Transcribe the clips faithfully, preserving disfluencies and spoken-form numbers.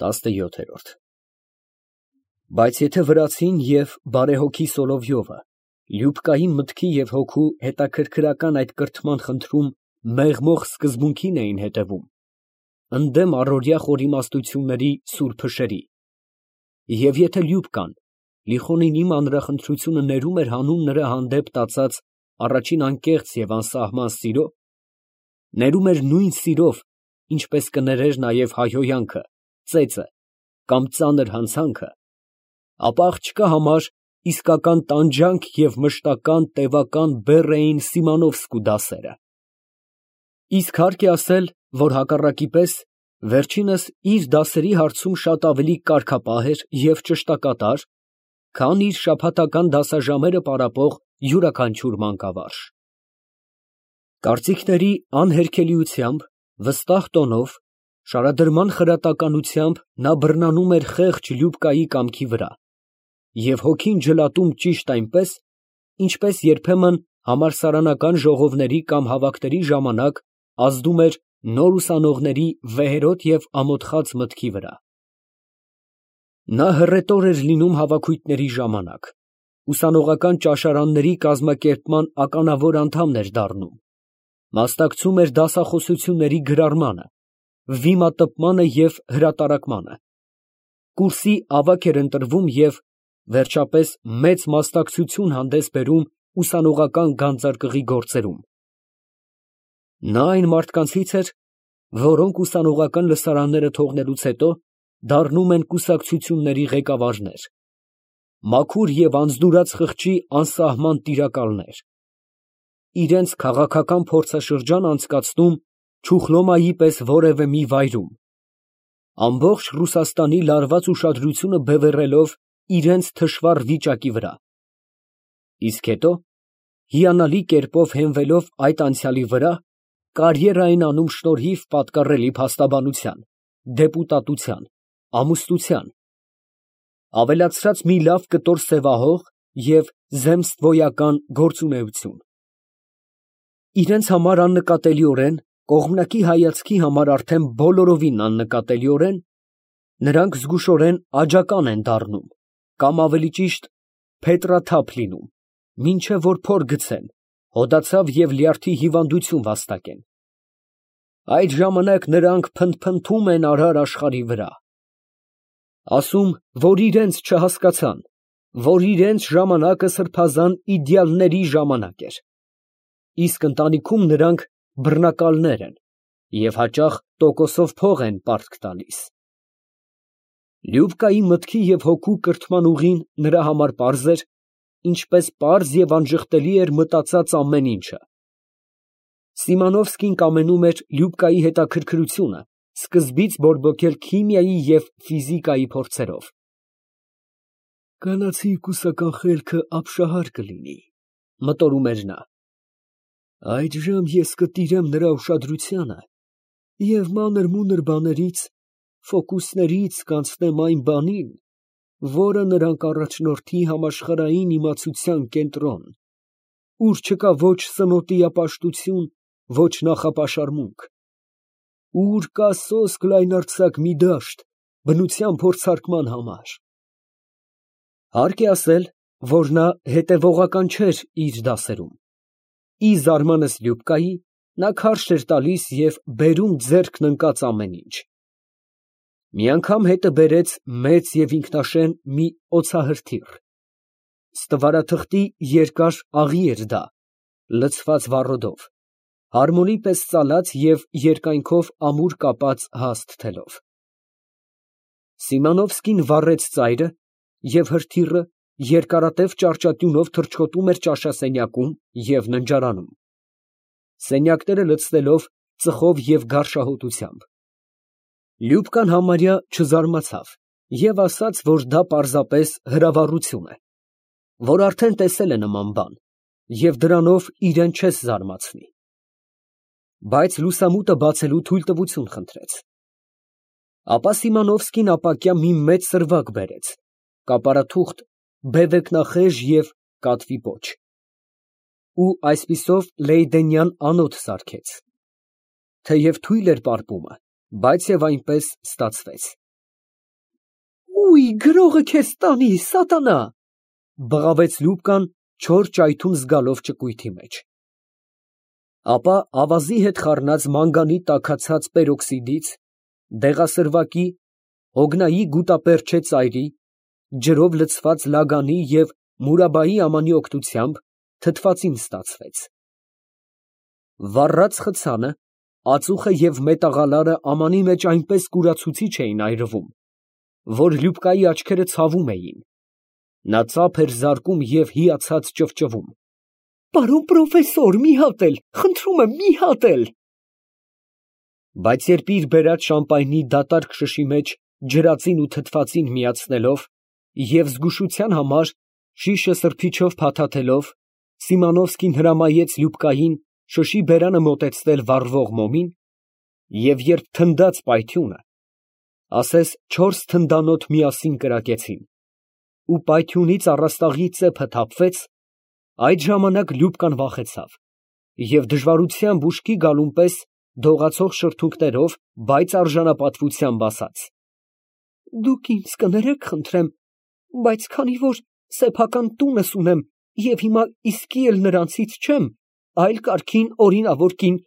տասնյոթ։ Բայց եթե վրացին և բարեհոգի Սոլովյովը Լյուբկային մտքի և հոգու հետաքրքրական այդ կրթման խնդրում մեղմող սկզբունքին էին հետևում, ընդդեմ առօրյա խորիմաստությունների սուր փշերի, և եթե Լյուբկան Լիխոնինի մանրախնդրությունը ներում էր հանուն նրա հանդեպ տածած առաջին անկեղծ և անսահման սիրո, ներում էր նույն սիրով, ինչպես կներեր նաև հայհոյանքը, ծեծը կամ ծանր հանցանքը, ապա աղջկա համար իսկական տանջանք և մշտական տևական բեռ էին Սիմոնովսկու դասերը։ Իսկ հարկ է ասել, որ հակառակի պես, վերջինս իր դասերի հարցում շատ ավելի կարգապահ էր և ճշտակատար, քան իր շաբաթական դասաժամերը պարապող յուրաքանչյուր մանկավարժ։ Կարծիքների անհերքելիությամբ, վստահ տոնով, շարադրման խրատականությամբ նա բռնանում էր խեղճ Լյուբկայի կամքի վրա և հոգին ջլատում ճիշտ այնպես, ինչպես երբեմն համալսարանական ժողովների կամ հավաքների ժամանակ ազդում էր նոր ուսանողների վեհերոտ և ամոթխած մտքի վրա։ Նա հռետոր էր լինում հավաքույթների ժամանակ, ուսանողական ճաշարանների կազմակերպման ականավոր անդամ էր դառնում, մասնակցում էր դասախոսությունների գրառմանը, վիմատպմանը և հրատարակմանը, կուրսի ավագ էր ընտրվում և, վերջապես, մեծ մասնակցություն հանդես բերում ուսանողական գանձարկղի գործերում։ Նա այն մարդկանցից էր, որոնք ուսանողական լսարանները թողնելուց հետո դառնում են կուսակցությունների ղեկավարներ, մաքուր և անձնուրաց խղճի անսահման տիրակալներ, իրենց քաղաքական փորձաշրջան անցկացնում Չուխլոմայի պես որևէ մի վայրում, ամբողջ Ռուսաստանի լարված ուշադրությունը բևեռելով իրենց թշվառ վիճակի վրա, իսկ հետո, հիանալի կերպով հենվելով այդ անցյալի վրա, կարիերա են անում շնորհիվ պատկառելի փաստաբանության, դեպուտատության, ամուսնության, ավելացրած մի լավ կտոր սևահող և զեմստվոյական գործունեություն։ Իրենց համար աննկատելիորեն, կողմնակի հայացքի համար արդեն բոլորովին աննկատելիորեն, նրանք զգուշորեն աջական են դառնում, կամ ավելի ճիշտ փետրաթափ լինում, մինչև որ փոր գցեն, հոդացավ և լյարդի հիվանդություն վաստակեն։ Այդ ժամանակ նրանք փնթփնթում են արար աշխարհի վրա, ասում, որ իրանց չհասկացան, որ իրանց ժամանակը սրբազան իդեալների ժամանակ էր, իսկ ընտանիքում նրանք բռնակալներ են և հաճախ տոկոսով փող են պարտք տալիս։ Լյուբկայի մտքի և հոգու կրթման ուղին նրա համար պարզ էր, ինչպես պարզ և անժխտելի էր մտածած ամեն ինչը։ Սիմոնովսկին կամենում էր Լյուբկայի հետաքրքրությունը սկզբից բորբոքել քիմիայի և ֆիզիկայի փորձերով։ «Կանացի կուսական խելքը ապշահար կլինի, ֊ մտորում էր նա, ֊ այդժամ ես կտիրեմ նրա ուշադրությանը և մանր֊մունր բաներից, ֆոկուսներից կանցնեմ այն բանին, որը նրան կառաջնորդի համաշխարհային իմացության կենտրոն, ուր չկա ոչ սնոտիապաշտություն, ոչ նախապաշարմունք, ուր կա սոսկ լայնարձակ մի դաշտ բնության փորձարկման համար»։ Հարկ է ասել, որ նա հետևողական չէր իր դասերում։ Ի զարմանս Լյուբկայի, նա քարշ էր տալիս և բերում ձեռքն ընկած ամեն ինչ։ Մի անգամ հետը բերեց մեծ և ինքնաշեն մի օձահրթիռ, ստվարաթղթի երկար աղի էր դա, լցված վառոդով, հարմոնի պես ծալած և երկայնքով ամուր կապած հաստ թելով։ Սիմոնովսկին վառեց ծայրը, և հրթիռը երկարատև ճառճատյունով թռչկոտում էր ճաշասենյակում և ննջարանում, սենյակները լցնելով ծխով և գարշահոտությամբ։ Լյուբկան համարյա չզարմացավ և ասաց, որ դա պարզապես հրավառություն է, որ արդեն տեսել է նման բան և դրանով իրան չես զարմացնի, բայց լուսամուտը բացելու թույլտվություն խնդրեց։ Ապա Սիմոնովսկին ապակյա մի մեծ սրվակ բերեց, կապարաթուղթ, բևեկնախեժ և կատվի պոչ, ու այսպիսով լեյդենյան անոթ սարքեց, թեև թույլ էր պարպումը, բայց և այնպես ստացվեց։ Ուй, գրողը քեզ տանի, սատանա, բղավեց Լյուբկան չոր ճայթուն զգալով ճկույթի մեջ։ Ապա ավազի հետ խառնած մանգանի տաքացած պերօքսիդից, դեղասրվակի, հոգնայի գուտապերճե ծայրի, ջրով լցված լագանի և մուրաբայի ամանի օգնությամբ թթվածին ստացվեց։ Վառած խցանը, ածուխը և մետաղալարը ամանի մեջ այնպես կուրացուցիչ էին այրվում, որ Լյուբկայի աչքերը ցավում էին, նա ծափ էր զարկում և հիացած ճվճվում։ Պարոն պրոֆեսոր, մի հատ էլ, խնդրում եմ, մի հատ էլ… Բայց երբ իր բերած շամպայնի դատարկ շշի մեջ ջրածին ու թթվածին միացնելով և զգուշության համար շիշը սրբիչով փաթաթելով, Սիմոնովսկին հրամայեց Լյուբկային շշի բերանը մոտեցնել վառվող մոմին, և երբ թնդաց պայթյունը, ասես չորս թնդանոթ միասին կրակեցին, ու պայթյունից առաստաղի ծեփը թափվեց, այդ ժամանակ Լյուբկան վախեցավ և դժվարությամբ ուշքի գալուն պես դողացող շրթունքներով, բայց արժանապատվությամբ ասաց. «Դուք ինձ կներեք, խնդրեմ, բայց քանի որ սեփական տունս ունեմ և հիմա իսկի էլ նրանցից չեմ, այլ կարգին օրինավոր կին,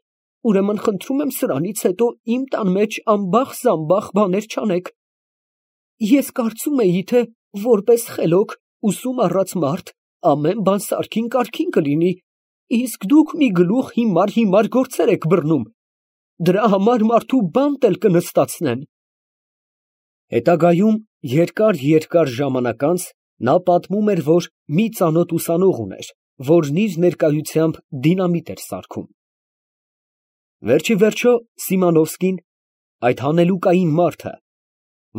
ուրեմն խնդրում եմ սրանից հետո իմ տան մեջ ամբախ֊զամբախ բաներ չանեք… Ես կարծում էի, թե որպես խելոք, ուսում առած մարդ ամեն բան սարքին կարգին կլինի, իսկ դուք մի գլուխ հիմար֊հիմար գործեր եք բռնում, դրա համար մարդու բանտ էլ կնստացնեն»։ Հետագայում երկար֊երկար ժամանակ անց նա պատմում էր, որ մի ծանոթ ուսանող ուներ, որն իր ներկայությամբ դինամիտ էր սարքում։ Վերջիվերջո Սիմոնովսկին, այդ հանելուկային մարդը,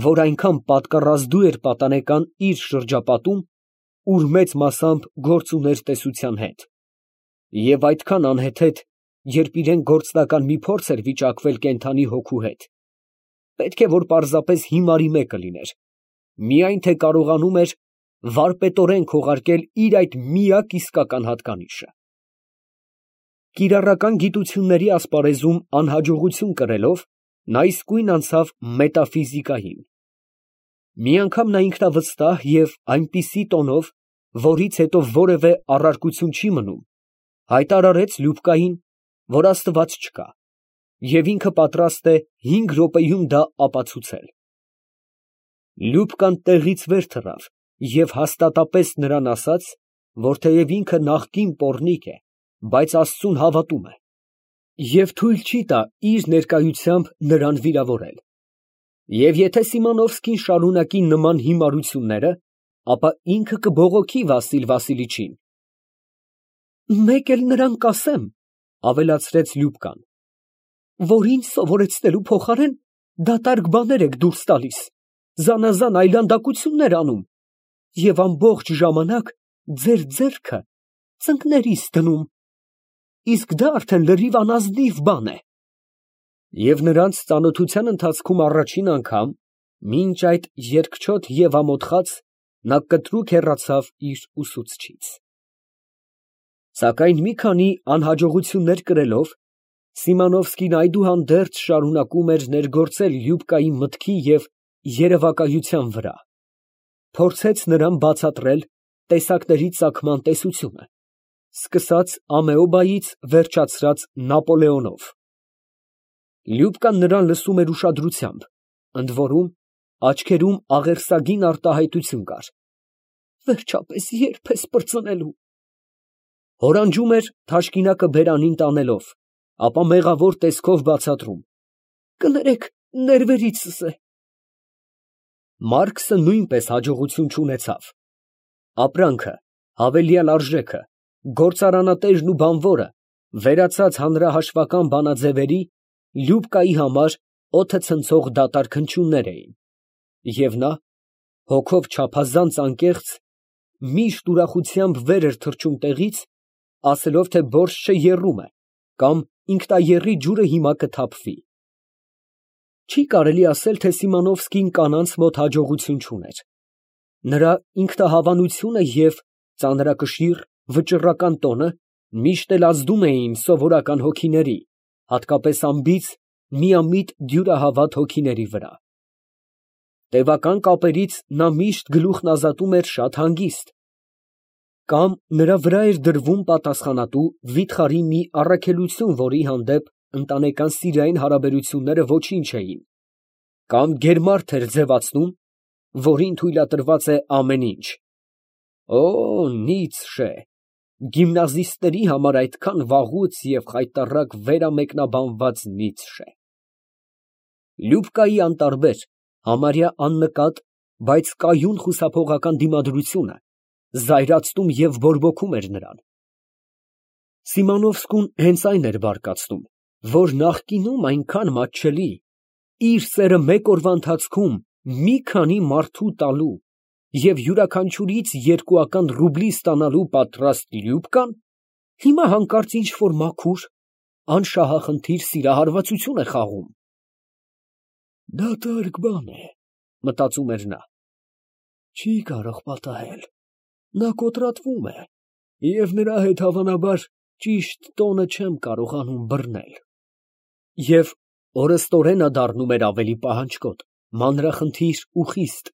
որ այնքան պատկառազդու էր պատանեկան իր շրջապատում, ուր մեծ մասամբ գործ ուներ տեսության հետ, և այդքան անհեթեթ, երբ իրան գործնական մի փորձ էր վիճակվել կենդանի հոգու հետ, պետք է որ պարզապես հիմարի մեկը լիներ, միայն թե կարողանում էր վարպետորեն քողարկել իր այդ միակ իսկական հատկանիշը։ Կիրառական գիտությունների ասպարեզում անհաջողություն կրելով, նա իսկույն անցավ մետաֆիզիկային։ Մի անգամ նա ինքնավստահ և այնպիսի տոնով, որից հետո որևէ առարկություն չի մնում, հայտարարեց Լյուբկային, որ Աստված չկա, և ինքը պատրաստ է հինգ րոպեում դա ապացուցել։ Լյուբկան տեղից վեր թռավ և հաստատապես նրան ասաց, որ թեև ինքը նախկին պոռնիկ է, բայց Աստծուն հավատում է և թույլ չի տա իր ներկայությամբ նրան վիրավորել, և եթե Սիմոնովսկին շարունակի նման հիմարությունները, ապա ինքը կբողոքի Վասիլ Վասիլիչին։ «Մեկ էլ նրան կասեմ, ֊ ավելացրեց Լյուբկան, ֊ որ ինձ սովորեցնելու փոխարեն դատարկ բաներ եք դուրս տալիս, զանազան այլանդակություններ անում և ամբողջ ժամանակ ձեր ձեռքը ծնկներիս դնում, իսկ դա արդեն լրիվ անազնիվ բան է»։ Եվ նրանց ծանոթության ընթացքում առաջին անգամ, մինչ այդ երկչոտ և ամոթխած, նա կտրուկ հեռացավ իր ուսուցչից։ Սակայն մի քանի անհաջողություններ կրելով, Սիմոնովսկին այդուհանդերձ շարունակում էր ներգործել Լյուբկայի մտքի և երևակայության վրա, փորձեց նրան բացատրել տեսակների ծագման տեսությունը, սկսած ամեոբայից վերջացրած Նապոլեոնով։ Լյուբկան նրան լսում էր ուշադրությամբ, ընդ որում աչքերում աղերսագին արտահայտություն կար։ «Վերջապես ե՞րբ ես պրծնելու»։ Հորանջում էր թաշկինակը բերանին տանելով, ապա մեղավոր տեսքով բացատրում. «Կներեք, ներվերիցս է»։ Մարքսը նույնպես հաջողություն չունեցավ։ Ապրանքը, հավելյալ արժեքը, գործարանատերն ու բանվորը, վերացած հանրահաշվական բանաձևերի, Լյուբկայի համար օդը ցնցող դատարկ հնչյուններ էին, և նա, հոգով չափազանց անկեղծ, միշտ ուրախությամբ վեր էր թռչում տեղից, ասելով, թե բորշչը եռում է, կամ ինքնաեռի ջուրը հիմա կթափվի։ Չի կարելի ասել, թե Սիմոնովսկին կանանց մոտ հաջողություն չուներ. նրա ինքնահավանությունը և ծանրակշիռ, վճռական տոնը միշտ էլ ազդում էին սովորական հոգիների, հատկապես անբիծ, միամիտ դյուրահավատ հոգիների վրա։ Տևական կապերից նա միշտ գլուխն ազատում էր շատ հանգիստ, կամ նրա վրա էր դրվում պատասխանատու վիթխարի մի առաքելություն, որի հանդեպ ընտանեկան սիրային հարաբերությունները ոչինչ էին, կամ գերմարդ էր ձևացնում, որին թույլատրված է ամեն ինչ։ Օ, Նիցշե, գիմնազիստների համար այդքան վաղուց և խայտառակ վերամեկնաբանված Նիցշե։ Լյուբկայի անտարբեր, համարյա աննկատ, բայց կայուն խուսափողական դիմադրությունը զայրացնում և բորբոքում էր նրան։ Սիմոնովսկուն հենց այն էր բարկացնում, որ նախկինում այնքան մատչելի, իր սերը մեկ օրվա ընթացքում մի քանի մարդու տալու և յուրաքանչյուրից երկուական ռուբլի ստանալու պատրաստ Լյուբկան, հիմա հանկարծ ինչ֊որ մաքուր, անշահախնդիր սիրահարվածություն է խաղում։ «Դատարկ բան է, ֊ մտածում էր նա, ֊ չի կարող պատահել, նա կոտրատվում է, և նրա հետ հավանաբար ճիշտ տոնը չեմ կարողանում բռնել»։ Եվ օրըստօրենը դառնում էր ավելի պահանջկոտ, մանրախնդիր ու խիստ։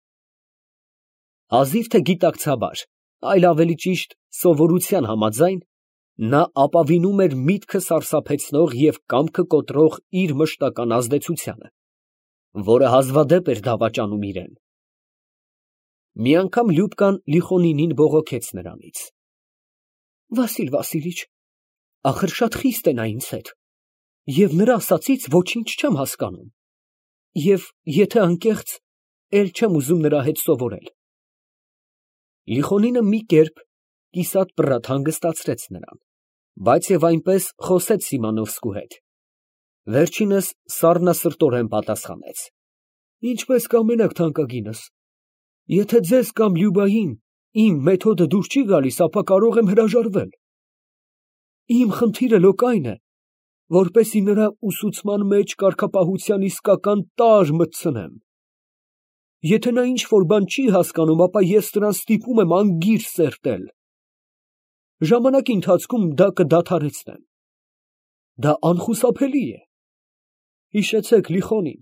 Հազիվ թե գիտակցաբար, այլ ավելի ճիշտ սովորության համաձայն, նա ապավինում էր միտքը սարսափեցնող և կամքը կոտրող իր մշտական ազդեցությանը, որը հազվադեպ էր դավաճանում իրան։ Մի անգամ Լյուբկան Լիխոնինին բողոքեց նրանից. «Վասիլ Վասիլիչ, ախր շատ խիստ է նա ինձ հետ, և նրա ասածից ոչինչ չեմ հասկանում, և եթե անկեղծ, էլ չեմ ուզում նրա հետ սովորել»։ Լիխոնինը մի կերպ կիսատ֊պռատ հանգստացրեց նրան, բայց և այնպես խոսեց Սիմոնովսկու հետ։ Վերջինս սառնասրտորեն պատասխանեց. «Ինչպես կամենաք, թանկագինս, եթե ձեզ կամ Լյուբային իմ մեթոդը դուր չի գալիս, ապա կարող եմ հրաժարվել։ Իմ խնդիրը լոկ այն է, որպեսզի նրա ուսուցման մեջ կարգապահության իսկական տարր մտցնեմ։ Եթե նա ինչ֊որ բան չի հասկանում, ապա ես նրան ստիպում եմ անգիր սերտել։ Ժամանակի ընթացքում դա կդադարեցնեմ։ Դա անխուսափելի է։ Հիշեցեք, Լիխոնին,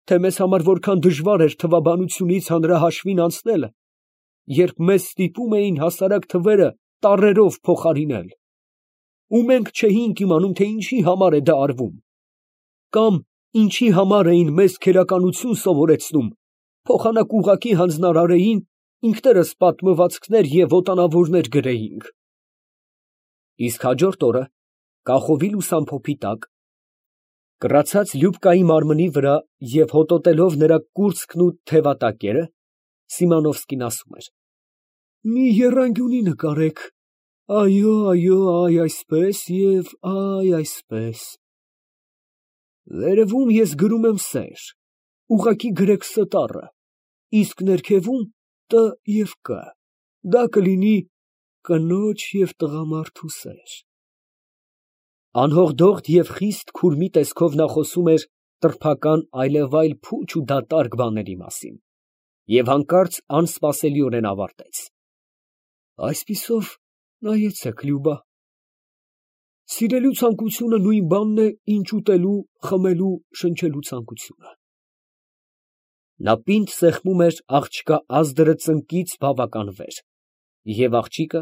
թե մեզ համար որքան դժվար էր թվաբանությունից հանրահաշվին անցնելը, երբ մեզ ստիպում էին հասարակ թվերը տառերով փոխարինել, ու մենք չէինք իմանում, թե ինչի համար է դա արվում, կամ ինչի համար էին մեզ քերականություն սովորեցնում, փոխանակ ուղղակի հանձնարարեին, ինքներս պատմվածքներ և ոտանավորներ գրեինք։ Իսկ հաջորդ օրը, կախովի լուսամփոփի տակ, կռացած Լյուբկայի մարմնի վրա և հոտոտելով նրա կուրծքն ու թևատակերը, Սիմոնովսկին ասում էր. «Մի եռանկյունի նկարեք, այո, այո, այ այսպես և այ այսպես։ Վերևում ես գրում եմ սեր, ուղղակի գրեք Ս տառը, իսկ ներքևում Տ և Կ, դա կլինի կնոջ և տղամարդու սեր»։ Անհողդողդ և խիստ քուրմի տեսքով նա խոսում էր տրփական այլևայլ փուչ ու դատարկ բաների մասին, և հանկարծ անսպասելիորեն ավարտեց. «Այսպիսով, նայեցեք, Լյուբա, սիրելու ցանկությունը նույն բանն է, ինչ ուտելու, խմելու, շնչելու ցանկությունը»։ Նա պինդ սեղմում էր աղջկա ազդրը ծնկից բավական վեր, և աղջիկը,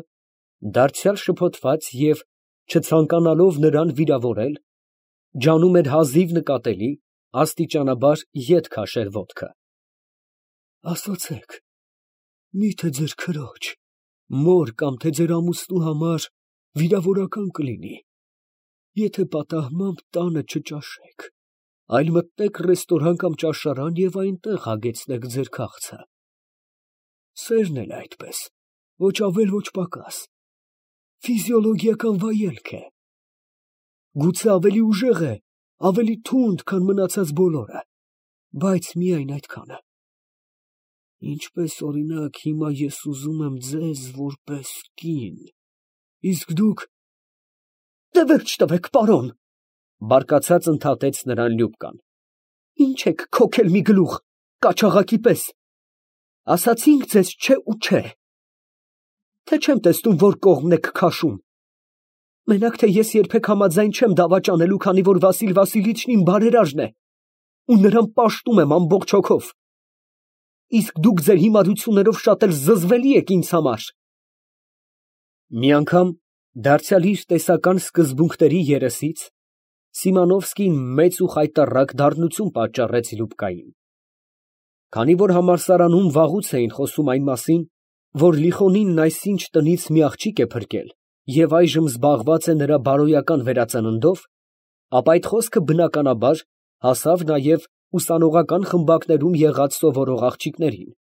դարձյալ շփոթված և չցանկանալով նրան վիրավորել, ջանում էր հազիվ նկատելի, աստիճանաբար ետ քաշել ոտքը։ «Ասացեք, մի՞թե ձեր քրոջ, մոր կամ թե ձեր ամուսնու համար վիրավորական կլինի, եթե պատահմամբ տանը չճաշեք, այլ մտնեք ռեստորան կամ ճաշարան և այնտեղ հագեցնեք ձեր քաղցը։ Սերն էլ այդպես, ոչ ավել, ոչ պակաս, ֆիզիոլոգիական վայելք է։ Գուցե ավելի ուժեղ է, ավելի թունդ, քան մնացած բոլորը, բայց միայն այդքանը։ Ինչպես, օրինակ, հիմա ես ուզում եմ ձեզ որպես կին, իսկ դուք…»։ «Դե վերջ տվեք, պարոն, ֊ բարկացած ընդհատեց նրան Լյուբկան, ֊ ինչ եք քոքել մի գլուխ, կաչաղակի պես, ասացինք ձեզ չէ ու չէ, թե չեմ տեսնում, որ կողմն եք քաշում։ Մենակ թե ես երբեք համաձայն չեմ դավաճանելու, քանի որ Վասիլ Վասիլիչն իմ բարերարն է, ու նրան պաշտում եմ ամբողջ հոգով։ իսկ դուք ձեր հիմարություններով շատ էլ զզվելի եք ինձ համար։ Մի անգամ, դարձյալ իր տեսական սկզբունքների երեսից, Սիմոնովսկին մեծ ու խայտառակ դառնություն պատճառեց Լյուբկային։ Քանի որ համալսարանում վաղուց էին խոսում այն մասին, որ Լիխոնինն այսինչ տնից մի աղջիկ է փրկել և այժմ զբաղված է նրա բարոյական վերածննդով, ապա այդ խոսքը բնականաբար հասավ նաև ուսանողական խմբակներում եղած սովորող աղջիկներին,